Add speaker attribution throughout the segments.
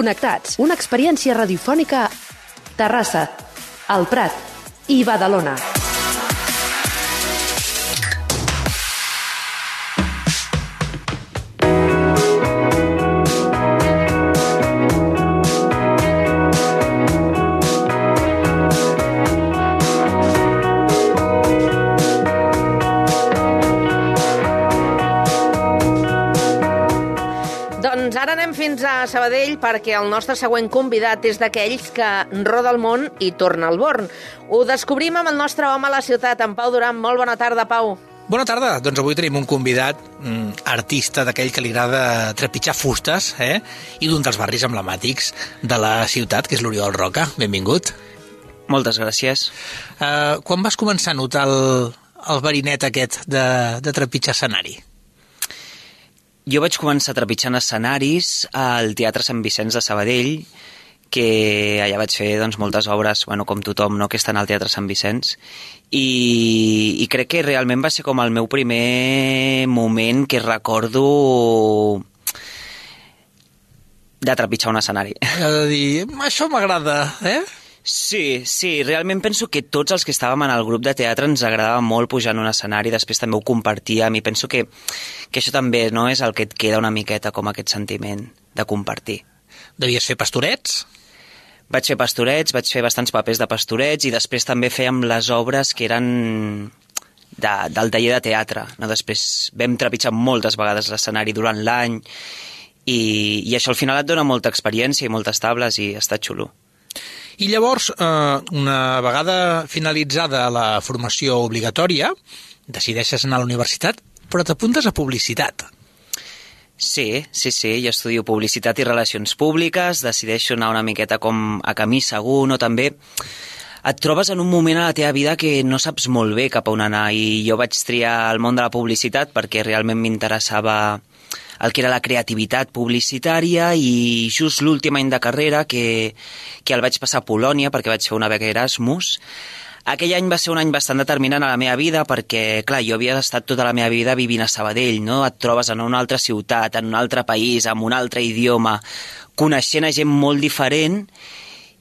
Speaker 1: Connectats, una experiència radiofònica a Terrassa, El Prat i Badalona.
Speaker 2: Doncs ara anem fins a Sabadell perquè el nostre següent convidat és d'aquells que roda el món i torna al Born. Ho descobrim amb el nostre home a la ciutat, en Pau Duran. Molt bona tarda, Pau.
Speaker 3: Bona tarda. Doncs avui tenim un convidat, artista d'aquell que li agrada trepitjar fustes, i d'un dels barris emblemàtics de la ciutat, que és l'Oriol Roca. Benvingut.
Speaker 4: Moltes gràcies.
Speaker 3: Quan vas començar a notar el verinet aquest de trepitjar escenari?
Speaker 4: Jo vaig començar trepitjant escenaris al Teatre Sant Vicenç de Sabadell, que allà vaig fer moltes obres, com tothom, no?, que estan al Teatre Sant Vicenç, i crec que realment va ser com el meu primer moment que recordo de trepitjar un escenari.
Speaker 3: De dir, això m'agrada,
Speaker 4: Sí, realment penso que tots els que estàvem en el grup de teatre ens agradava molt pujar en un escenari, després també ho compartíem, i penso que això també, no, és el que et queda una miqueta com aquest sentiment de compartir.
Speaker 3: Devies fer pastorets?
Speaker 4: Vaig fer pastorets, vaig fer bastants papers de pastorets, i després també fèiem les obres que eren del taller de teatre, no? Després vam trepitjar moltes vegades l'escenari durant l'any, i això al final et dona molta experiència i moltes tables, i està xulo.
Speaker 3: I llavors, una vegada finalitzada la formació obligatòria, decideixes anar a la universitat, però t'apuntes a publicitat.
Speaker 4: Sí, jo estudio publicitat i relacions públiques, decideixo anar una miqueta com a camí segur, no? També et trobes en un moment a la teva vida que no saps molt bé cap a on anar, i jo vaig triar el món de la publicitat perquè realment m'interessava el que era la creativitat publicitària, i just l'últim any de carrera, que el vaig passar a Polònia perquè vaig fer una beca Erasmus. Aquell any va ser un any bastant determinant a la meva vida perquè, clar, jo havia estat tota la meva vida vivint a Sabadell, no? Et trobes en una altra ciutat, en un altre país, amb un altre idioma, coneixent a gent molt diferent,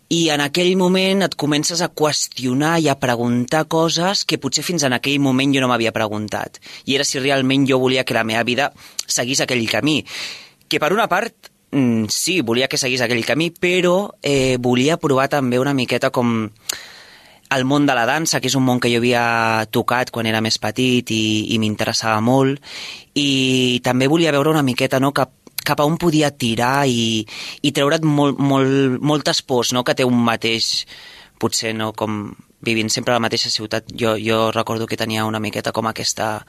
Speaker 4: i en aquell moment et comences a qüestionar i a preguntar coses que potser fins en aquell moment jo no m'havia preguntat. I era si realment jo volia que la meva vida seguís aquell camí. Que per una part, sí, volia que seguís aquell camí, però volia provar també una miqueta com el món de la dansa, que és un món que jo havia tocat quan era més petit i m'interessava molt, i també volia veure una miqueta, no?, cap a on podia tirar i treure't moltes pors, no?, que té un mateix, potser, no?, com vivint sempre a la mateixa ciutat. Jo recordo que tenia una miqueta com aquesta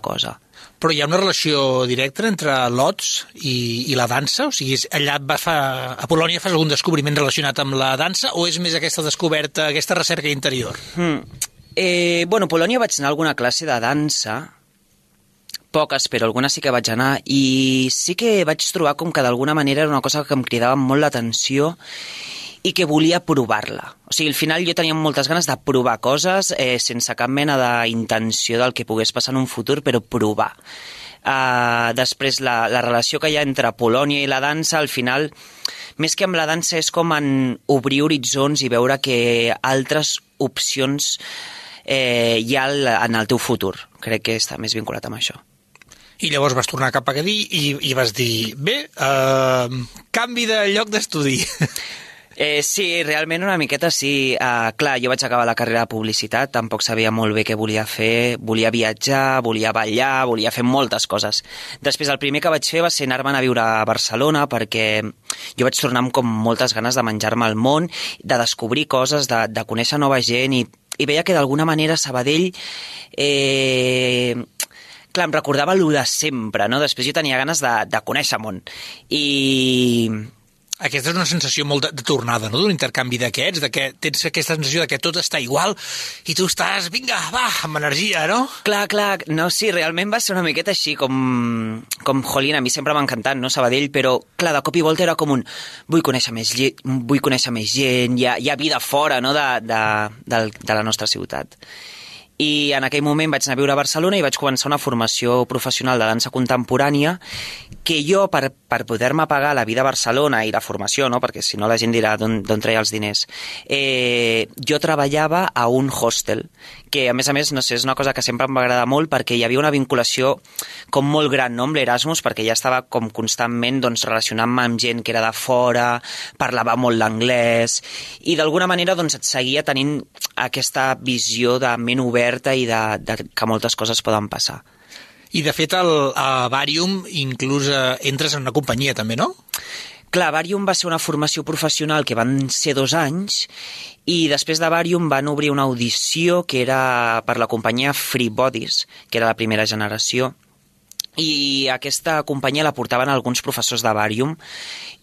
Speaker 4: cosa.
Speaker 3: Però hi ha una relació directa entre l'Ots i la dansa? O sigui, allà a Polònia fas algun descobriment relacionat amb la dansa, o és més aquesta descoberta, aquesta recerca interior?
Speaker 4: A Polònia vaig anar a alguna classe de dansa, poques, però algunes sí que vaig anar, i sí que vaig trobar com que d'alguna manera era una cosa que em cridava molt l'atenció i que volia provar-la. O sigui, al final jo tenia moltes ganes de provar coses sense cap mena d'intenció del que pogués passar en un futur, però provar. Després, la relació que hi ha entre Polònia i la dansa, al final, més que amb la dansa, és com en obrir horitzons i veure que altres opcions hi ha en el teu futur. Crec que està més vinculat amb això.
Speaker 3: I llavors vas tornar cap a Cadí i vas dir, bé, canvi de lloc d'estudi.
Speaker 4: Sí, realment una miqueta sí. Clar, jo vaig acabar la carrera de publicitat, tampoc sabia molt bé què volia fer, volia viatjar, volia ballar, volia fer moltes coses. Després el primer que vaig fer va ser anar-me'n a viure a Barcelona, perquè jo vaig tornar amb com moltes ganes de menjar-me el món, de descobrir coses, de conèixer nova gent, i veia que d'alguna manera Sabadell... Clar, em recordava allò de sempre, no? Després jo tenia ganes de conèixer món. I...
Speaker 3: Aquesta és una sensació molt de tornada, no?, d'un intercanvi d'aquests, de que tens aquesta sensació de que tot està igual i tu estàs, vinga, va, amb energia, no?
Speaker 4: Clar, no, sí, realment va ser una miqueta així, com jolín, a mi sempre m'ha encantat, no?, Sabadell, però, clar, de cop i volta era com un, vull conèixer més gent, hi ha vida fora, no?, de la nostra ciutat. I en aquell moment vaig anar a viure a Barcelona i vaig començar una formació professional de dansa contemporània que jo, per per poder-me pagar la vida a Barcelona i la formació, no? Perquè si no la gent dirà d'on treia els diners, jo treballava a un hostel, que a més, no sé, és una cosa que sempre em va agradar molt perquè hi havia una vinculació com molt gran, no? Amb l'Erasmus, perquè ja estava com constantment doncs, relacionant-me amb gent que era de fora, parlava molt l'anglès, i d'alguna manera doncs, et seguia tenint aquesta visió de ment oberta i de que moltes coses poden passar.
Speaker 3: I, de fet, a Vàrium inclús entres en una companyia, també, no?
Speaker 4: Clar, Vàrium va ser una formació professional que van ser 2 anys i després de Vàrium van obrir una audició que era per la companyia Free Bodies, que era la primera generació, i aquesta companyia la portaven alguns professors de Vàrium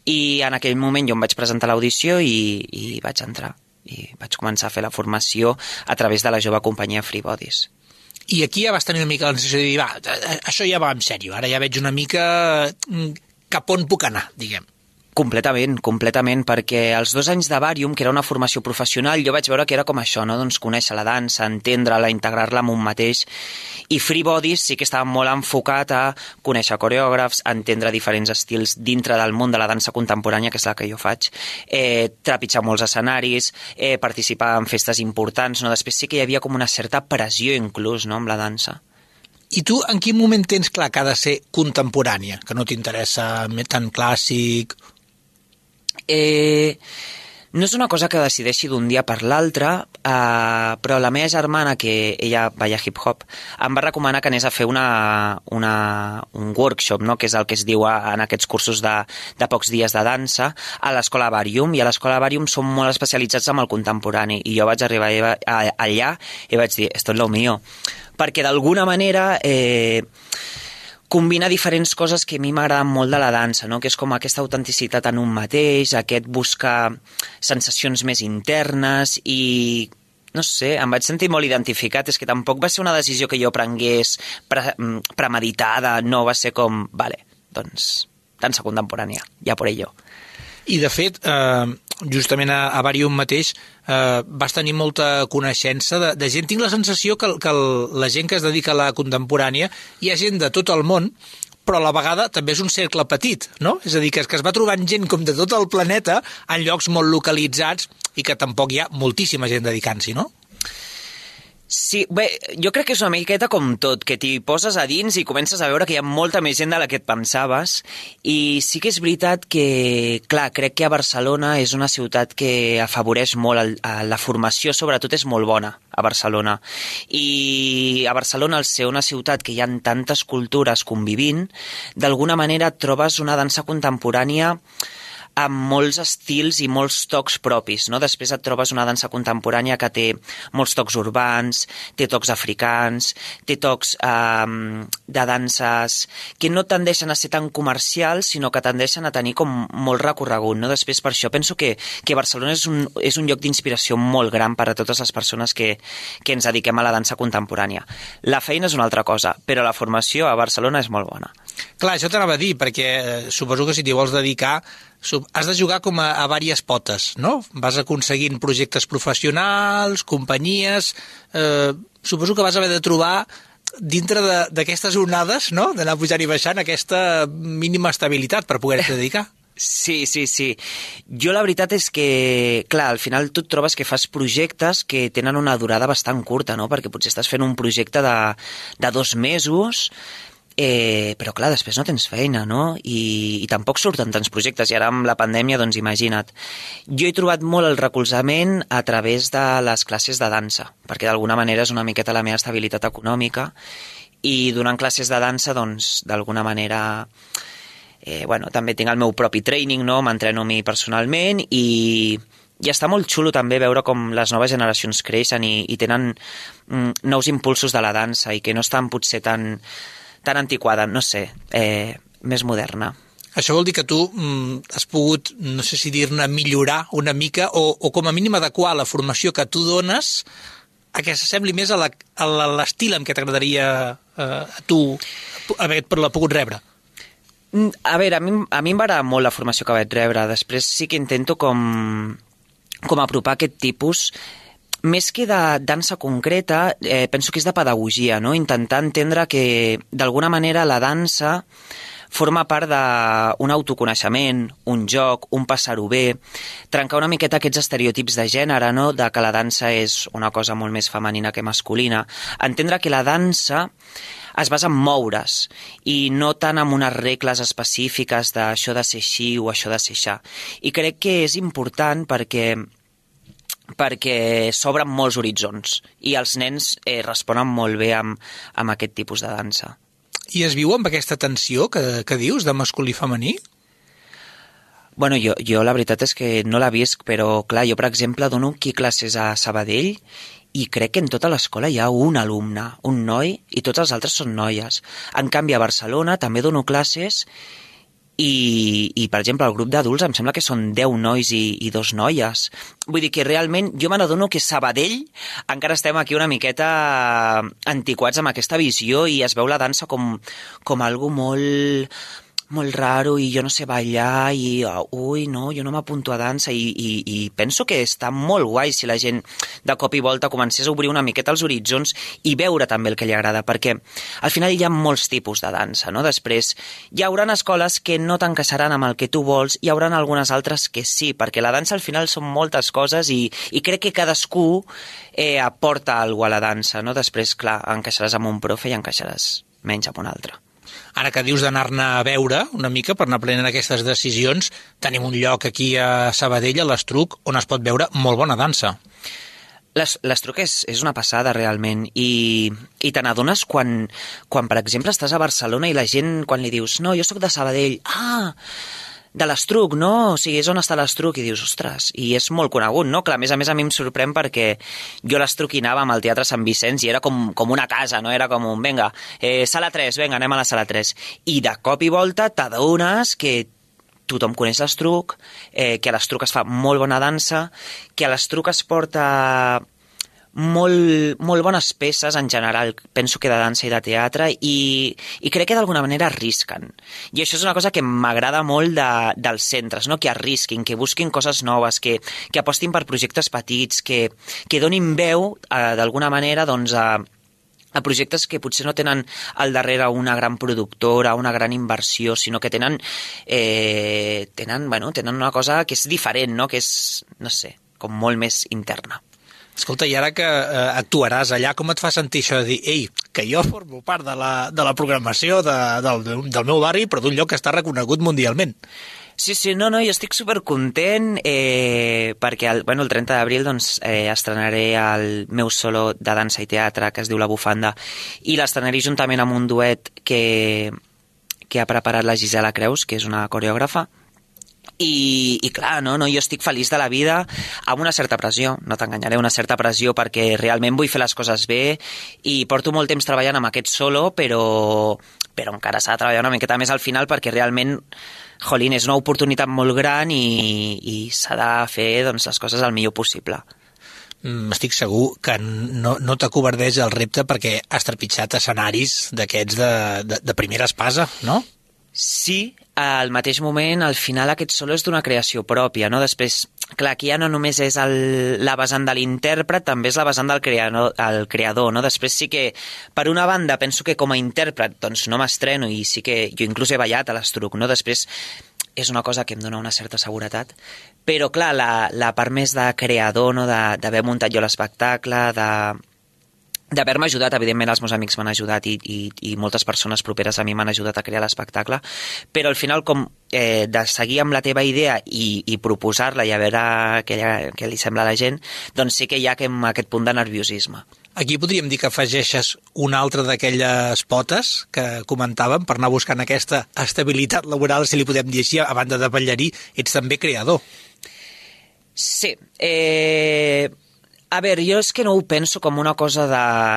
Speaker 4: i en aquell moment jo em vaig presentar a l'audició i vaig entrar i vaig començar a fer la formació a través de la jove companyia Free Bodies.
Speaker 3: I aquí ja vas tenir una mica la sensació de dir, va, això ja va en sèrio, ara ja veig una mica cap on puc anar, diguem.
Speaker 4: Completament, perquè els 2 anys de Vàrium, que era una formació professional, jo vaig veure que era com això, no? Doncs conèixer la dansa, entendre-la, integrar-la amb un mateix, i Free Bodies sí que estava molt enfocat a conèixer coreògrafs, entendre diferents estils dintre del món de la dansa contemporània, que és la que jo faig, trepitjar molts escenaris, participar en festes importants, no? Després sí que hi havia com una certa pressió inclús, no?, amb la dansa.
Speaker 3: I tu en quin moment tens clar que ha de ser contemporània, que no t'interessa tant clàssic?
Speaker 4: No és una cosa que decideixi d'un dia per l'altre, però la meva germana, que ella balla hip-hop, em va recomanar que anés a fer un workshop, no? Que és el que es diu en aquests cursos de pocs dies de dansa, a l'escola Vàrium, i a l'escola Vàrium som molt especialitzats en el contemporani, i jo vaig arribar allà i vaig dir, esto es lo mío, perquè d'alguna manera combina diferents coses que a mi m'agraden molt de la dansa, no? Que és com aquesta autenticitat en un mateix, aquest buscar sensacions més internes i, no sé, em vaig sentir molt identificat. És que tampoc va ser una decisió que jo prengués premeditada, no va ser com, vale, doncs, dansa contemporània, ja por ello.
Speaker 3: I, de fet, justament a Vàrium mateix vas tenir molta coneixença de gent. Tinc la sensació que la gent que es dedica a la contemporània hi ha gent de tot el món, però a la vegada també és un cercle petit, no? És a dir, que es va trobant gent com de tot el planeta en llocs molt localitzats i que tampoc hi ha moltíssima gent dedicant-s'hi, no?
Speaker 4: Sí, bé, jo crec que és una miqueta com tot, que t'hi poses a dins i comences a veure que hi ha molta més gent de la que et pensaves, i sí que és veritat que, clar, crec que a Barcelona és una ciutat que afavoreix molt la formació, sobretot és molt bona a Barcelona, i a Barcelona, al ser una ciutat que hi ha tantes cultures convivint, d'alguna manera et trobes una dansa contemporània amb molts estils i molts tocs propis, no? Després et trobes una dansa contemporània que té molts tocs urbans, té tocs africans, té tocs de danses que no tendeixen a ser tan comercials, sinó que tendeixen a tenir com molt recorregut, no? Després, per això penso que Barcelona és un lloc d'inspiració molt gran per a totes les persones que ens dediquem a la dansa contemporània. La feina és una altra cosa, però la formació a Barcelona és molt bona.
Speaker 3: Clar, això t'anava a dir, perquè suposo que si t'hi vols dedicar has de jugar com a diverses potes, no? Vas aconseguint projectes professionals, companyies... suposo que vas haver de trobar dintre d'aquestes onades, no?, d'anar pujant i baixant aquesta mínima estabilitat per poder-te dedicar.
Speaker 4: Sí. Jo la veritat és que, clar, al final tu et trobes que fas projectes que tenen una durada bastant curta, no?, perquè potser estàs fent un projecte de 2 mesos... però clar, després no tens feina, no? I tampoc surten tants projectes, i ara amb la pandèmia, doncs imagina't. Jo he trobat molt el recolzament a través de les classes de dansa, perquè d'alguna manera és una miqueta la meva estabilitat econòmica, i donant classes de dansa, doncs, d'alguna manera... també tinc el meu propi training, no? M'entreno a mi personalment, i està molt xulo també veure com les noves generacions creixen i tenen nous impulsos de la dansa i que no estan potser tan antiquada, no sé, més moderna.
Speaker 3: Això vol dir que tu has pogut, no sé si dir-ne, millorar una mica o com a mínim adequar la formació que tu dones a que s'assembli més a l'estil en què t'agradaria a tu haver-la pogut rebre.
Speaker 4: A veure, a mi em va agradar molt la formació que vaig rebre. Després sí que intento com apropar aquest tipus. Més que de dansa concreta, penso que és de pedagogia, no? Intentar entendre que, d'alguna manera, la dansa forma part d'un autoconeixement, un joc, un passar-ho bé, trencar una miqueta aquests estereotips de gènere, no? De que la dansa és una cosa molt més femenina que masculina. Entendre que la dansa es basa en moure's i no tant en unes regles específiques d'això de ser així o això de ser aixà. I crec que és important perquè s'obren molts horitzons i els nens responen molt bé amb aquest tipus de dansa.
Speaker 3: I es viu amb aquesta tensió que dius, de masculí i femení?
Speaker 4: Bueno, jo la veritat és que no la visc, però clar, jo per exemple dono aquí classes a Sabadell i crec que en tota l'escola hi ha un alumne, un noi, i tots els altres són noies. En canvi, a Barcelona també dono classes i per exemple, el grup d'adults em sembla que són 10 nois i 2 noies. Vull dir que realment jo me n'adono que Sabadell encara estem aquí una miqueta antiquats amb aquesta visió i es veu la dansa com algo molt raro i jo no sé ballar i ui, no, jo no m'apunto a dansa i penso que està molt guai si la gent de cop i volta comencés a obrir una miqueta els horitzons i veure també el que li agrada, perquè al final hi ha molts tipus de dansa, no? Després hi haurà escoles que no t'encaixaran amb el que tu vols, hi haurà algunes altres que sí, perquè la dansa al final són moltes coses i crec que cadascú aporta alguna cosa a la dansa, no? Després, clar, encaixaràs amb un profe i encaixaràs menys amb un altre.
Speaker 3: Ara que dius d'anar-ne a veure una mica per anar prenent aquestes decisions, tenim un lloc aquí a Sabadell, a l'Estruc, on es pot veure molt bona dansa.
Speaker 4: L'Estruc és una passada realment i te n'adones quan, per exemple, estàs a Barcelona i la gent, quan li dius no, jo sóc de Sabadell, de l'Estruc, no? O sigui, és on està l'Estruc, i dius, ostres, i és molt conegut, no? Clar, a més a mi em sorprèn perquè jo l'Estruc hi anava amb el Teatre Sant Vicenç i era com una casa, no? Era com un, vinga, sala 3, vinga, anem a la sala 3. I de cop i volta t'adones que tothom coneix l'Estruc, que a l'Estruc es fa molt bona dansa, que a l'Estruc es porta molt bones peces en general, penso que de dansa i de teatre, i crec que d'alguna manera arrisquen. I això és una cosa que m'agrada molt dels centres, no? Que arrisquin, que busquin coses noves, que apostin per projectes petits, que donin veu, d'alguna manera, doncs, a projectes que potser no tenen al darrere una gran productora, una gran inversió, sinó que tenen una cosa que és diferent, no? Que és, no sé, com molt més interna.
Speaker 3: Escolta, i ara que actuaràs allà, com et fa sentir això de dir, ei, que jo formo part de la programació del meu barri, però d'un lloc que està reconegut mundialment?
Speaker 4: Sí, no, jo estic supercontent perquè el 30 d'abril doncs, estrenaré el meu solo de dansa i teatre que es diu La Bufanda i l'estrenaré juntament amb un duet que ha preparat la Gisela Creus, que és una coreògrafa. I clar, no, jo estic feliç de la vida amb una certa pressió, no t'enganyaré, una certa pressió perquè realment vull fer les coses bé i porto molt temps treballant amb aquest solo, però encara s'ha de treballar una miqueta més al final perquè realment, jolín, és una oportunitat molt gran i s'ha de fer doncs, les coses el millor possible.
Speaker 3: Estic segur que no t'acovardeix el repte perquè has trepitjat escenaris d'aquests de primera espasa, no?
Speaker 4: Sí, al mateix moment, al final aquest solo és d'una creació pròpia, no? Després, clar, aquí ja no només és la vessant de l'intèrpret, també és la vessant del creador, no? Després sí que, per una banda, penso que com a intèrpret doncs no m'estreno i sí que jo inclús he ballat a l'Estruc, no? Després és una cosa que em dona una certa seguretat, però clar, la part més de creador, no? D'haver muntat jo l'espectacle, d'haver-me ajudat, evidentment els meus amics m'han ajudat i moltes persones properes a mi m'han ajudat a crear l'espectacle, però al final com de seguir amb la teva idea i proposar-la i a veure què li sembla a la gent, doncs sí que hi ha aquest punt de nerviosisme.
Speaker 3: Aquí podríem dir que afegeixes una altra d'aquelles potes que comentàvem per anar buscant aquesta estabilitat laboral, si li podem dir així, a banda de ballarí, ets també creador.
Speaker 4: Sí, a veure, jo és que no ho penso com una cosa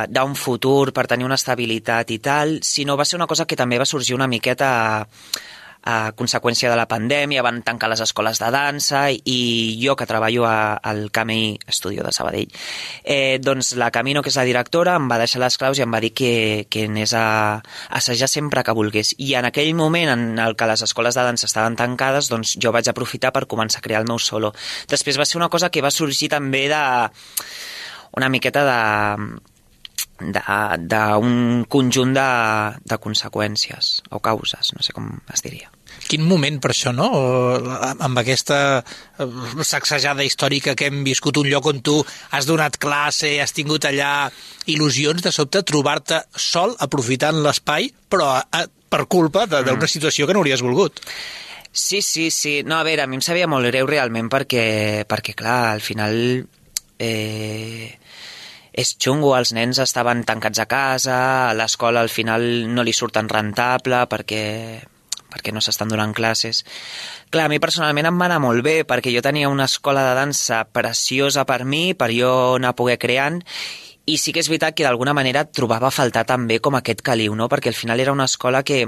Speaker 4: d'un futur per tenir una estabilitat i tal, sinó va ser una cosa que també va sorgir una miqueta a conseqüència de la pandèmia, van tancar les escoles de dansa i jo que treballo al Camí Estudio de Sabadell, doncs la Camino, que és la directora, em va deixar les claus i em va dir que anés a assajar sempre que volgués. I en aquell moment en el que les escoles de dansa estaven tancades, doncs jo vaig aprofitar per començar a crear el meu solo. Després va ser una cosa que va sorgir també una miqueta d'un conjunt de conseqüències o causes, no sé com es diria.
Speaker 3: Quin moment per això, no? Amb aquesta sacsejada històrica que hem viscut, un lloc on tu has donat classe, has tingut allà il·lusions, de sobte trobar-te sol aprofitant l'espai, però per culpa d'una situació que no hauries volgut.
Speaker 4: Sí. No, a veure, a mi em sabia molt greu realment perquè clar, al final és xungo, els nens estaven tancats a casa, a l'escola al final no li surt tan rentable perquè no s'estan donant classes. Clar, a mi personalment em va anar molt bé perquè jo tenia una escola de dansa preciosa per mi, per jo anar a poder creant, i sí que és veritat que d'alguna manera trobava a faltar també com aquest caliu, no? Perquè al final era una escola que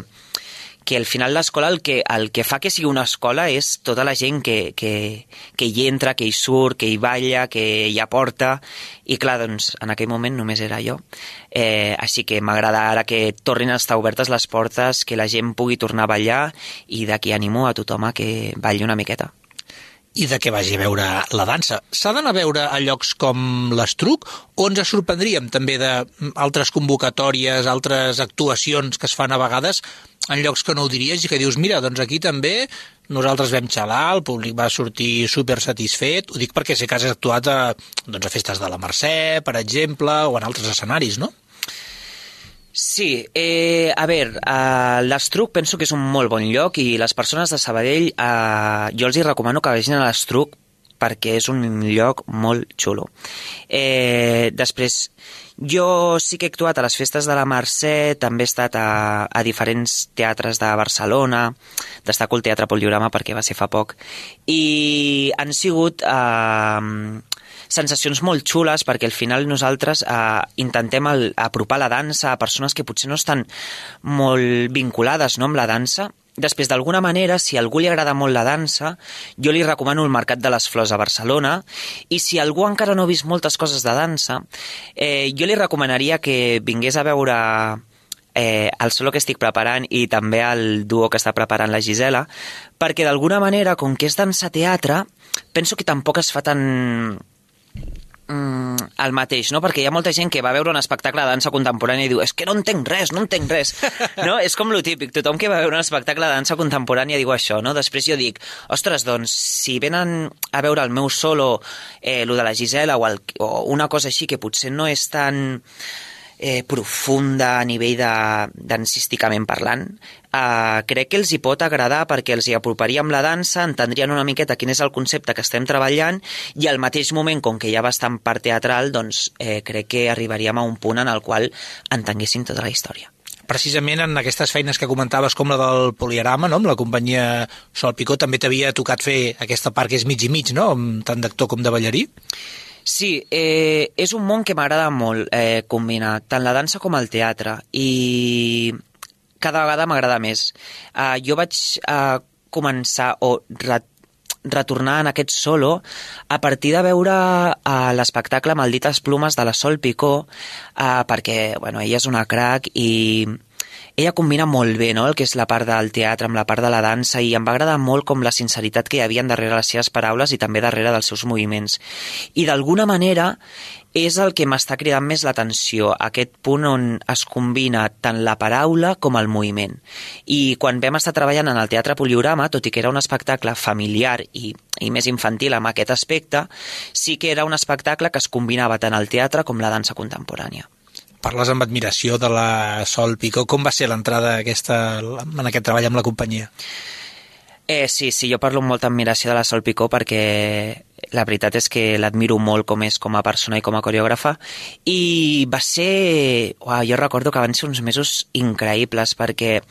Speaker 4: al final l'escola el que fa que sigui una escola és tota la gent que hi entra, que hi surt, que hi balla, que hi aporta, i clar, doncs en aquell moment només era jo. Així que m'agrada ara que tornin a estar obertes les portes, que la gent pugui tornar a ballar, i d'aquí animo a tothom a que balli una miqueta.
Speaker 3: I de què vagi a veure la dansa. S'ha d'anar a veure a llocs com l'Estruc, o ens sorprendríem també d'altres convocatòries, altres actuacions que es fan a vegades en llocs que no ho diries i que dius, mira, doncs aquí també nosaltres vam xalar, el públic va sortir super satisfet. Ho dic perquè sé que has actuat a festes de la Mercè, per exemple, o en altres escenaris, no?
Speaker 4: Sí, a veure, l'Estruc penso que és un molt bon lloc i les persones de Sabadell jo els hi recomano que vagin a l'Estruc perquè és un lloc molt xulo. Després, jo sí que he actuat a les festes de la Mercè, també he estat a diferents teatres de Barcelona, destaco el Teatre Poliorama perquè va ser fa poc, i han sigut sensacions molt xules perquè al final nosaltres intentem apropar la dansa a persones que potser no estan molt vinculades, no, amb la dansa. Després, d'alguna manera, si a algú li agrada molt la dansa, jo li recomano el Mercat de les Flors a Barcelona, i si algú encara no ha vist moltes coses de dansa, jo li recomanaria que vingués a veure el solo que estic preparant i també el duo que està preparant la Gisela, perquè d'alguna manera, com que és dansa-teatre, penso que tampoc es fa tan el mateix, no? Perquè hi ha molta gent que va veure un espectacle de dansa contemporània i diu, és que no entenc res, no? És com lo típic, tothom que va veure un espectacle de dansa contemporània diu això, no? Després jo dic, ostres, doncs, si venen a veure el meu solo, lo de la Gisela o una cosa així que potser no és tan profunda a nivell dansísticament parlant, crec que els hi pot agradar perquè els hi aproparia amb la dansa, entendrien una miqueta quin és el concepte que estem treballant i al mateix moment, com que hi ha bastant part teatral, doncs crec que arribaríem a un punt en el qual entenguéssim tota la història.
Speaker 3: Precisament en aquestes feines que comentaves com la del Poliorama, no? Amb la companyia Sol Picó, també t'havia tocat fer aquesta part que és mig i mig, no? Tant d'actor com de ballarí.
Speaker 4: Sí, és un món que m'agrada molt combinar, tant la dansa com el teatre, i cada vegada m'agrada més. Jo vaig començar o retornar en aquest solo a partir de veure l'espectacle Maldites plomes de la Sol Picó, perquè bueno, ella és una crac i ella combina molt bé, no?, el que és la part del teatre amb la part de la dansa, i em va agradar molt com la sinceritat que hi havia darrere les seves paraules i també darrere dels seus moviments. I d'alguna manera és el que m'està cridant més l'atenció, aquest punt on es combina tant la paraula com el moviment. I quan vam estar treballant en el Teatre Poliorama, tot i que era un espectacle familiar i més infantil amb aquest aspecte, sí que era un espectacle que es combinava tant el teatre com la dansa contemporània.
Speaker 3: Parles amb admiració de la Sol Picó. Com va ser l'entrada en aquest treball amb la companyia?
Speaker 4: Sí, jo parlo amb molta admiració de la Sol Picó perquè la veritat és que l'admiro molt com és com a persona i com a coreògrafa, i va ser... jo recordo que van ser uns mesos increïbles perquè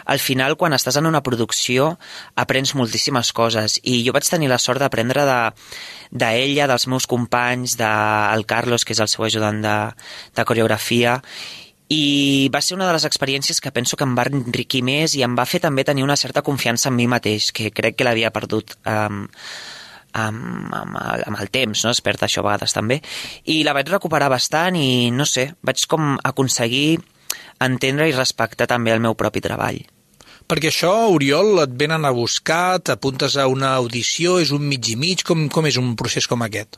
Speaker 4: al final quan estàs en una producció aprens moltíssimes coses, i jo vaig tenir la sort d'aprendre d'ella, dels meus companys, del Carlos, que és el seu ajudant de coreografia, i va ser una de les experiències que penso que em va enriquir més i em va fer també tenir una certa confiança en mi mateix, que crec que l'havia perdut amb el temps, no? Es perd això a vegades també, i la vaig recuperar bastant i no sé, vaig com aconseguir entendre i respectar també el meu propi treball.
Speaker 3: Perquè això, Oriol, et venen a buscar, t'apuntes a una audició, és un mig i mig, com és un procés com aquest?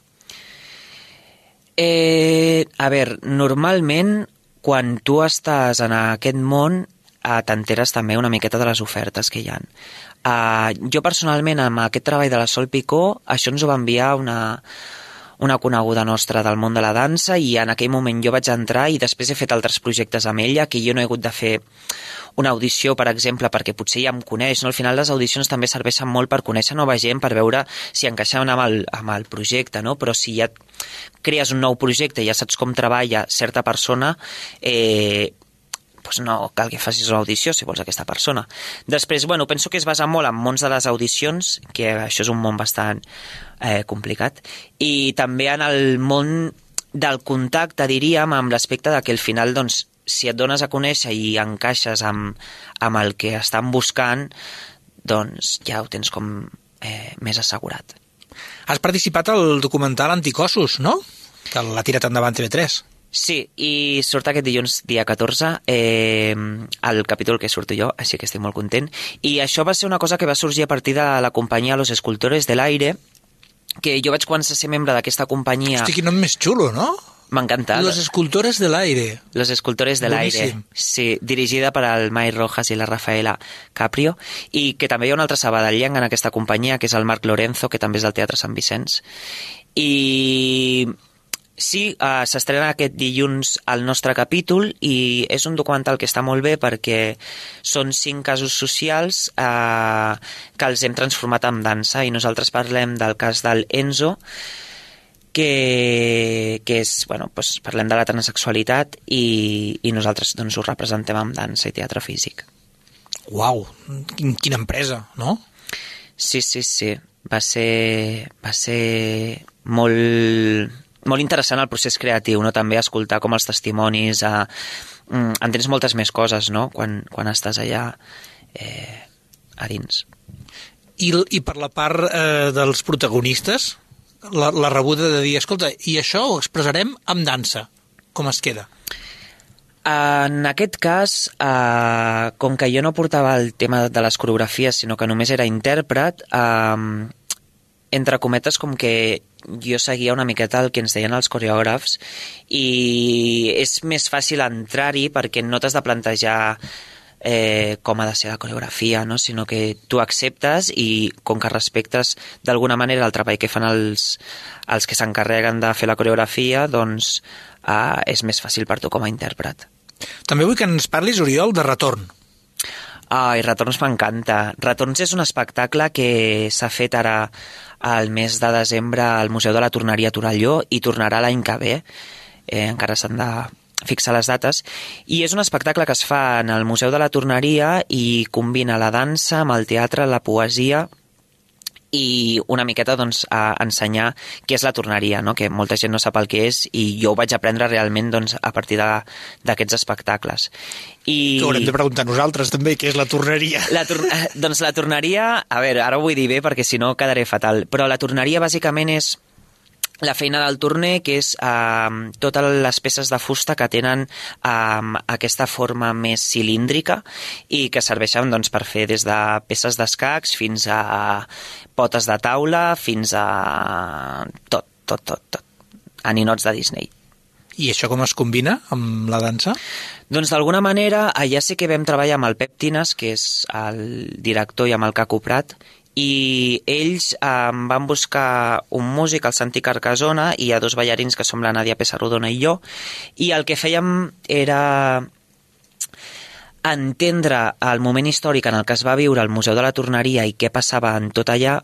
Speaker 4: A veure, normalment, quan tu estàs en aquest món, t'enteres també una miqueta de les ofertes que hi ha. Jo personalment, amb aquest treball de la Sol Picó, això ens ho va enviar una coneguda nostra del món de la dansa, i en aquell moment jo vaig entrar i després he fet altres projectes amb ella, que jo no he hagut de fer una audició, per exemple, perquè potser ja em coneix, no? Al final les audicions també serveixen molt per conèixer nova gent, per veure si encaixen amb el projecte, no? Però si ja crees un nou projecte i ja saps com treballa certa persona, doncs no cal que facis una audició si vols aquesta persona. Després, bueno, penso que es basa molt en mons de les audicions, que això és un món bastant complicat, i també en el món del contacte, diríem, amb l'aspecte de que al final, doncs, si et dones a conèixer i encaixes amb el que estan buscant, doncs ja ho tens com més assegurat.
Speaker 3: Has participat al documental Anticossos, no? Que l'ha tirat endavant TV3.
Speaker 4: Sí, i surt aquest dilluns, dia 14, el capítol que surto jo, així que estic molt content. I això va ser una cosa que va sorgir a partir de la companyia Los Escultores del Aire, que jo vaig començar a ser membre d'aquesta companyia...
Speaker 3: Hosti, quin nom més xulo, no?
Speaker 4: M'encanta.
Speaker 3: Los Escultores del Aire.
Speaker 4: Los Escultores del Aire. Sí, dirigida per el Mai Rojas i la Rafaela Caprio, i que també hi ha un altre sabadellenc en aquesta companyia, que és el Marc Lorenzo, que també és del Teatre Sant Vicenç. I... sí, s'estrena aquest dilluns el nostre capítol, i és un documental que està molt bé perquè són 5 casos socials que els hem transformat en dansa, i nosaltres parlem del cas del Enzo, que és, bueno, doncs parlem de la transsexualitat, i nosaltres doncs ho representem amb dansa i teatre físic.
Speaker 3: Uau, quina empresa, no?
Speaker 4: Sí. Va ser molt interessant el procés creatiu, no? També escoltar com els testimonis, entens moltes més coses, no? Quan estàs allà a dins.
Speaker 3: I per la part dels protagonistes, la rebuda de dir, escolta, i això ho expressarem amb dansa, com es queda?
Speaker 4: En aquest cas, com que jo no portava el tema de les coreografies, sinó que només era intèrpret, entre cometes, com que jo seguia una miqueta el que ens deien els coreògrafs, i és més fàcil entrar-hi perquè no t'has de plantejar com ha de ser la coreografia, no? Sinó que tu acceptes, i com que respectes d'alguna manera el treball que fan els que s'encarreguen de fer la coreografia, doncs és més fàcil per tu com a intèrpret.
Speaker 3: També vull que ens parlis, Oriol, de Retorn.
Speaker 4: Ai, Retorns m'encanta. Retorns és un espectacle que s'ha fet ara al mes de desembre al Museu de la Torneria a Torelló, i tornarà l'any que ve. Encara s'han de fixar les dates, i és un espectacle que es fa en el Museu de la Torneria i combina la dansa amb el teatre, la poesia, i una miqueta doncs a ensenyar què és la torneria, no? Que molta gent no sap el que és, i jo ho vaig aprendre realment doncs a partir d'aquests espectacles.
Speaker 3: T'ho haurem de preguntar nosaltres també, què és la torneria.
Speaker 4: Doncs la torneria, a veure, ara ho vull dir bé perquè si no quedaré fatal, però la torneria bàsicament és la feina del torner, que és totes les peces de fusta que tenen aquesta forma més cilíndrica i que serveixen doncs, per fer des de peces d'escacs fins a potes de taula, fins a tot. A ninots de Disney.
Speaker 3: I això com es combina amb la dansa?
Speaker 4: Doncs d'alguna manera, allà sí que vam treballar amb el Pep Tines, que és el director, i amb el Caco Prat, i ells van buscar un músic, el Santi Carcasona, i hi ha 2 ballarins que som la Nàdia Pessarrodona i jo, i el que fèiem era entendre el moment històric en el que es va viure al Museu de la Torneria i què passava en tot allà,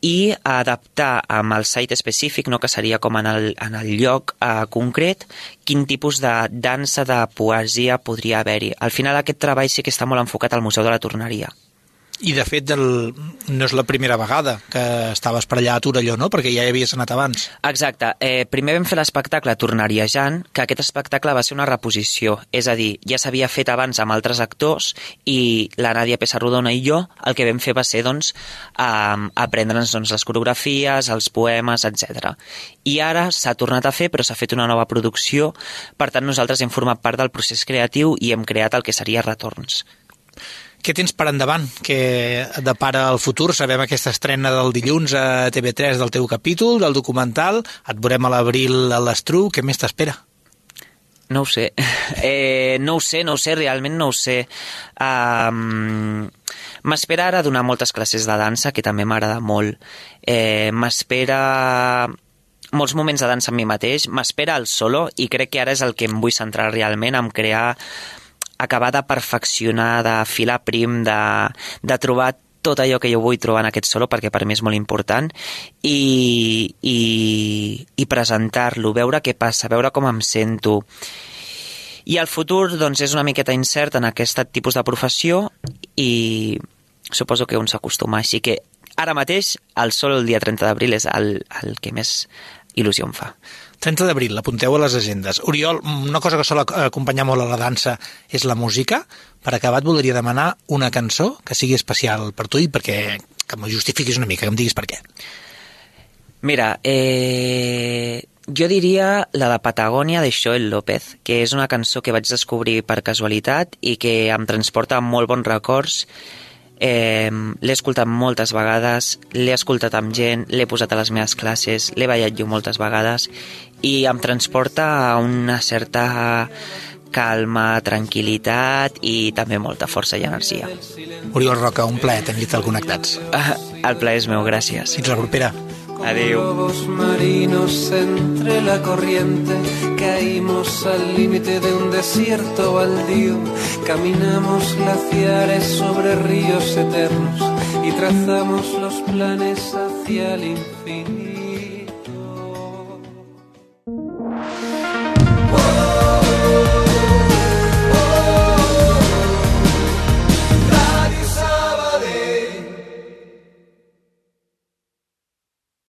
Speaker 4: i adaptar amb el site específic, no, que seria com en el lloc concret, quin tipus de dansa, de poesia podria haver-hi. Al final aquest treball sí que està molt enfocat al Museu de la Torneria.
Speaker 3: I de fet no és la primera vegada que estaves per allà a Torelló, no? Perquè ja hi havies anat abans.
Speaker 4: Exacte. Primer vam fer l'espectacle Torneriejant, que aquest espectacle va ser una reposició. És a dir, ja s'havia fet abans amb altres actors, i la Nàdia Pessarrodona i jo el que vam fer va ser doncs, aprendre'ns doncs, les coreografies, els poemes, etc. I ara s'ha tornat a fer, però s'ha fet una nova producció. Per tant, nosaltres hem format part del procés creatiu i hem creat el que seria Retorns.
Speaker 3: què tens per endavant? Què depara el futur? Sabem aquesta estrena del dilluns a TV3 del teu capítol, del documental. Et veurem a l'abril a l'Estru. Què més t'espera?
Speaker 4: No ho sé. No ho sé, realment no ho sé. M'espera ara donar moltes classes de dansa, que també m'agrada molt. M'espera molts moments de dansa amb mi mateix. M'espera el solo, i crec que ara és el que em vull centrar realment, en acabar de perfeccionar, de filar prim, de trobar tot allò que jo vull trobar en aquest solo, perquè per mi és molt important, i presentar-lo, veure què passa, veure com em sento. I el futur, doncs, és una miqueta incert en aquest tipus de professió, i suposo que un s'acostuma. Així que ara mateix el solo el dia 30 d'abril és el que més il·lusió em fa.
Speaker 3: 30 d'abril, l'apunteu a les agendes. Oriol, una cosa que sol acompanyar molt a la dansa és la música. Per acabar, et voldria demanar una cançó que sigui especial per tu i perquè que m'ho justifiquis una mica, que em diguis per què.
Speaker 4: Mira, jo diria la de Patagònia de Xoel López, que és una cançó que vaig descobrir per casualitat i que em transporta molt bons records. L'he escoltat moltes vegades, l'he escoltat amb gent, l'he posat a les meves classes, l'he ballat jo moltes vegades, i em transporta a una certa calma, tranquil·litat i també molta força i energia.
Speaker 3: Oriol Roca, un plaer tenir-te al Connectats.
Speaker 4: El plaer és meu, gràcies.
Speaker 3: Fins la propera.
Speaker 4: Adéu.
Speaker 5: Lobos marinos entre la corriente, caímos al límite de un desierto baldío, caminamos glaciares sobre ríos eternos y trazamos los planes hacia el infinito.